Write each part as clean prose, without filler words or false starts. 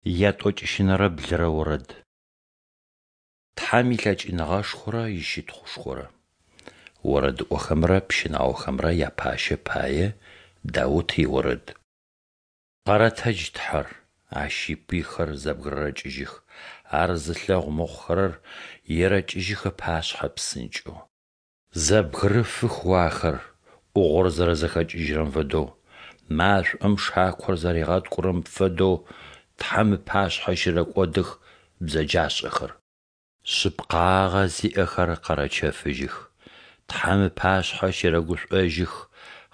Ятӏокӏищынэрэ блырэ орэд. Тхьэм илъэкӏыныгъэшхорэ ищытхъушхорэ. Орэдыӏохэмрэ пщынаохэмрэ япащэ пае Даут иорэд. Къэрэтэдж Тхьэр, Ащ ипыйхэр зэбгырэкӏыжьых, Ар зылъэгъу мыхъухэрэр ерэкӏыжьых ыпашъхьэ псынкӏэу. Зэбгырыфых О ахэр, ӏугъор зэрэзэхэкӏыжьырэм фэдэу, машӏом шакор зэригъэткӏурэм фэдэу Тхьэм ыпашъхьэ щырэкӏодых бзэджашӏэхэр. Шъыпкъагъэ зиӏэхэр къэрэчэфыжьых, Тхьэм ыпашъхьэ щэрэгушӏожьых,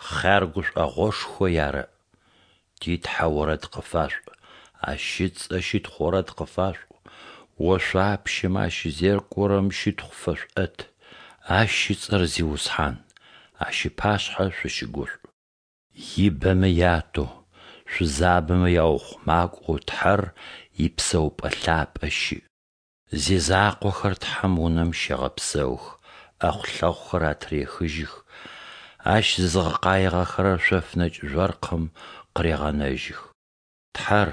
хъяр гушӏогъошхо ярэӏ. Ти Тхьэ орэд къыфашъуӏу, Ащ ыцӏэ щытхъу орэд къыфашъуӏу, ошъуапщэмэ ащызекӏорэм щытхъу фэшъуӏэт, Ащ ыцӏэр Зиусхьан, Ащ ыпашъхьэ шъущыгушӏу. Ибэмэ ятэу, шъузабэмэ яухъумакӏоу Тхьэр ипсэупӏэ лъапӏэ щыӏ. Зизакъохэр Тхьэм унэм щегъэпсэух, ӏэхъулъэхъухэр атырехыжьых, Ащ зызыгъэкъаигъэхэр шъоф нэкӏ жъоркъым къырегъэнэжьых. Тхьэр,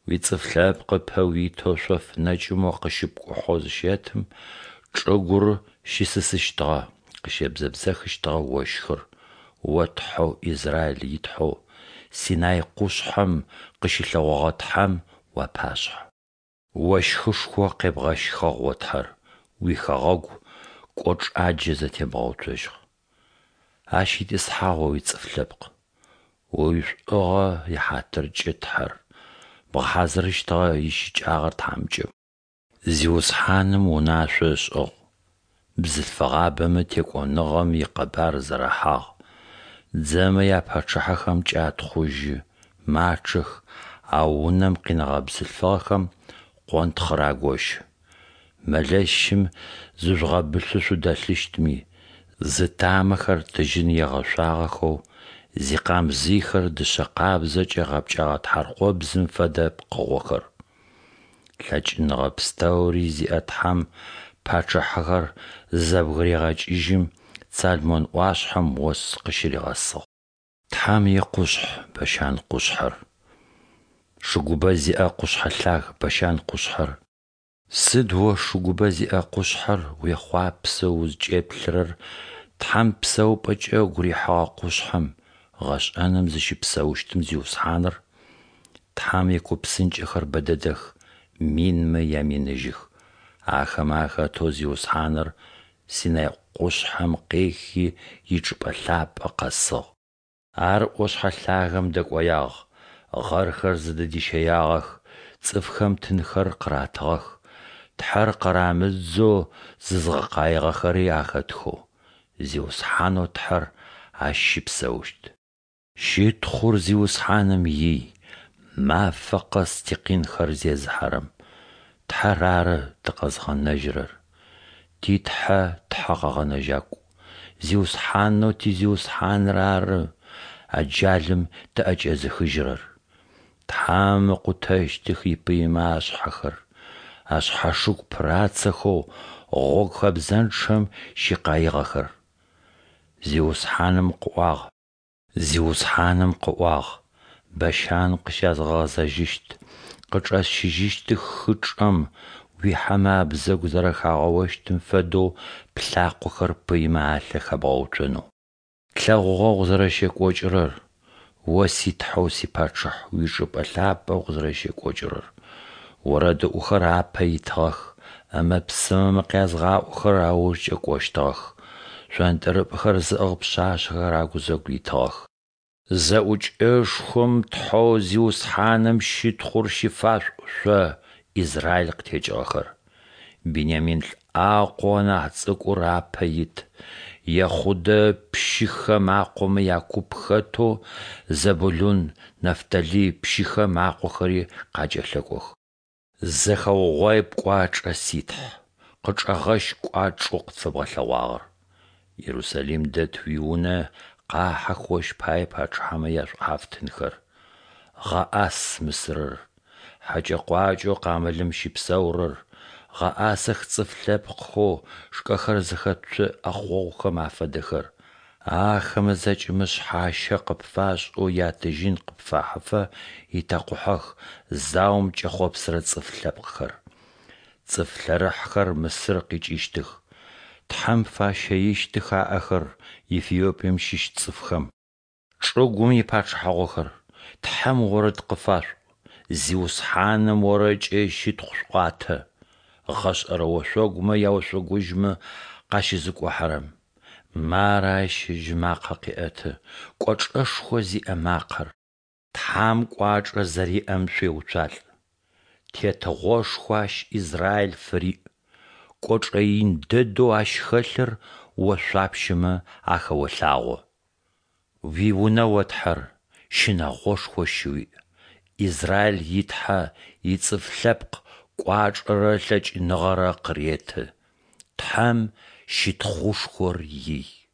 уицӏыф лъэпкъ ыпэ уитэу шъоф нэкӏым о къыщыпкӏухьэу зыщэтым, чӏыгур щысысыщтыгъэ, къыщебзэбзэхыщтыгъэ ощхыр, О Тхьэу Израиль и Тхьэу, Синай къушъхьэм къыщылъэгъогъэ Тхьэм уапашъхьэ. Ощхышхо къебгъэщхыгъ, о Тхьэр, уихэгъэгу кӏочӏаджэ зэтебгъэуцожьыгъ. Ащ итӏысхьагъ О уицӏыф лъэпкъ. О уишӏугъэ ихьатыркӏэ, Тхьэр, бгъэхьазырыщтыгъэ ищыкӏагъэр тхьамыкӏэм. Зиусхьаным унашъо ышӏыгъ, бзылъфыгъабэмэ текӏоныгъэм икъэбар зэрахьагъ, дзэмэ япачъыхьэхэм кӏатхъужьы, мачъэх, ау унэм къинэгъэ бзылъфыгъэхэм къонтхъыр агощы. Мэлэщым зыжъугъэбылъэу шъудэлъыщтми, зытамэхэр тыжьын егъэшъуагъэхэу, зикъамзыйхэр дышъэ къабзэкӏэ гъэпкӏэгъэ тхьаркъобзым фэдэ пкъыгъохэр. Лъэкӏыныгъэ пстэури зиӏэ Тхьэм пачъыхьэхэр зызэбгырегъэкӏыжьым, Цалмон ӏуашъхьэм ос къыщыригъэсыгъ. Тхьэм икъушъхь, Бащан къушъхьэр, шыгубэ зиӏэ къушъхьэ лъаг Бащан къушъхьэр. Сыд о шыгубэ зиӏэ къушъхьэр уехъуапсэу узкӏеплъырэр Тхьэм псэупӏэкӏэ ыгу рихьыгъэ къушъхьэм, гъэшӏэным зыщыпсэущтым Зиусхьаныр? Тхьэм икупсынкӏэхэр бэ дэдэх, минмэ яминыжьых. Ахэмэ ахэтэу Зиусхьаныр Синай къушъхьэм къехи ичӏыпӏэ лъапӏэ къэсыгъ. Ар ӏошъхьэ лъагэм дэкӏоягъ, гъэрхэр зыдыдищэягъэх, цӏыфхэм тынхэр къыратыгъэх, Тхьэр къырамыдзэу зызгъэкъаигъэхэри ахэтхэу. Зиусхьанэу Тхьэр ащ щыпсэущт. Щытхъур Зиусхьаным ий, мафэ къэс тикъинхэр зезыхьэрэм. Тхьэр ары тыкъэзгъэнэжьырэр. Ти Тхьэ Тхьэ къэгъэнэжьакӏу. Зиусхьанэу ти Зиусхьаныр ары аджалым тыӏэкӏэзыхыжьырэр. Тхьэм ыкъутэщтых ипыймэ ашъхьэхэр, ашъхьашыгу пырацэхэу гъогу хэбзэнчъэм щикъаигъэхэр. Зиусхьаным къыӏуагъ. Зиусхьаным къыӏуагъ: Бащан къыщязгъэгъэзэжьыщт, къычӏэсщыжьыщтых хычӏэм, уихьэмэ абзэгу зэрэхагъэощтым фэдэу плъакъохэр пыймэ алъэ хэбгъэуцонэу. Тлъэгъугъэ укъызэрэщекӏокӏырэр, О си Тхьэу сипачъыхь, уичӏыпӏэ лъапӏэ укъызэрэщекӏокӏырэр. Орэдыӏохэр апэ итыгъэх, ӏэмэ-псымэмэ къязгъаӏохэрэр аужкӏэ кӏощтыгъэх, шъонтӏрыпӏэхэр зыӏыгъ пшъашъэхэр агузэгу итыгъэх. Зэӏукӏэшхом Тхьэу Зиусхьаным щытхъур щыфашъуӏу шъо, Израиль къытекӏыгъэхэр. Бинямин лӏакъоу анахь цӏыкӏур апэ ит, Ехъудэ пщыхэм акъомэ якуп хэтэу Зэбулун, Нафталый пщыхэм акъохэри къакӏэлъэкӏох. Зэхэугъуай пкӏуачӏэ, си Тхь, къычӏэгъэщ кӏуачӏэу къытфэбгъэлъэгъуагъэр. Ерусалим дэт уи Унэ къахьых ощ пае пачъыхьэмэ яшӏухьафтынхэр. Гъэӏас Мысырыр, хьэкӏэ-къуакӏэу къамылым щыпсэурэр, гъэӏасэх цӏыф лъэпкъхэу шкӏэхэр зыхэт цу ӏэхъогъухэм афэдэхэр. Ахэмэ зэкӏэмэ шъхьащэ къыпфашӏэу ятыжьын къыпфахьыфэ итэкъухьэх заом кӏэхъопсырэ цӏыф лъэпкъхэр. Цӏыф лъэрыхьхэр Мысыр къикӏыщтых, Тхьэм фащэищтых аӏэхэр Ефиопием щыщ цӏыфхэм. Чӏыгум ипачъыхьагъохэр, Тхьэм орэд къыфашъуӏу, Зиусхьаным орэдкӏэ ищытхъу шъуӏуатэ, Гъэшӏэрэ ошъогумэ яошъогужьмэ къащызыкӏухьэрэм. Мары Ащ ыжьы макъэ къеӏэты, кӏочӏэшхо зиӏэ макъэр. Тхьэм кӏуачӏэ зэриӏэм шъуеуцуалӏ. Тетыгъошхо Ащ Израиль фыриӏ, кӏочӏэ ин дэдэу Ащ хэлъыр ошъуапщэмэ ахэолъагъо. Уиунэ, о Тхьэр, щынэгъошхо щыуиӏ, Израиль и Тхьэ ицӏыф лъэпкъ кӏуачӏэрэ лъэкӏыныгъэрэ къыреты. Тхьэм щытхъушхор ий.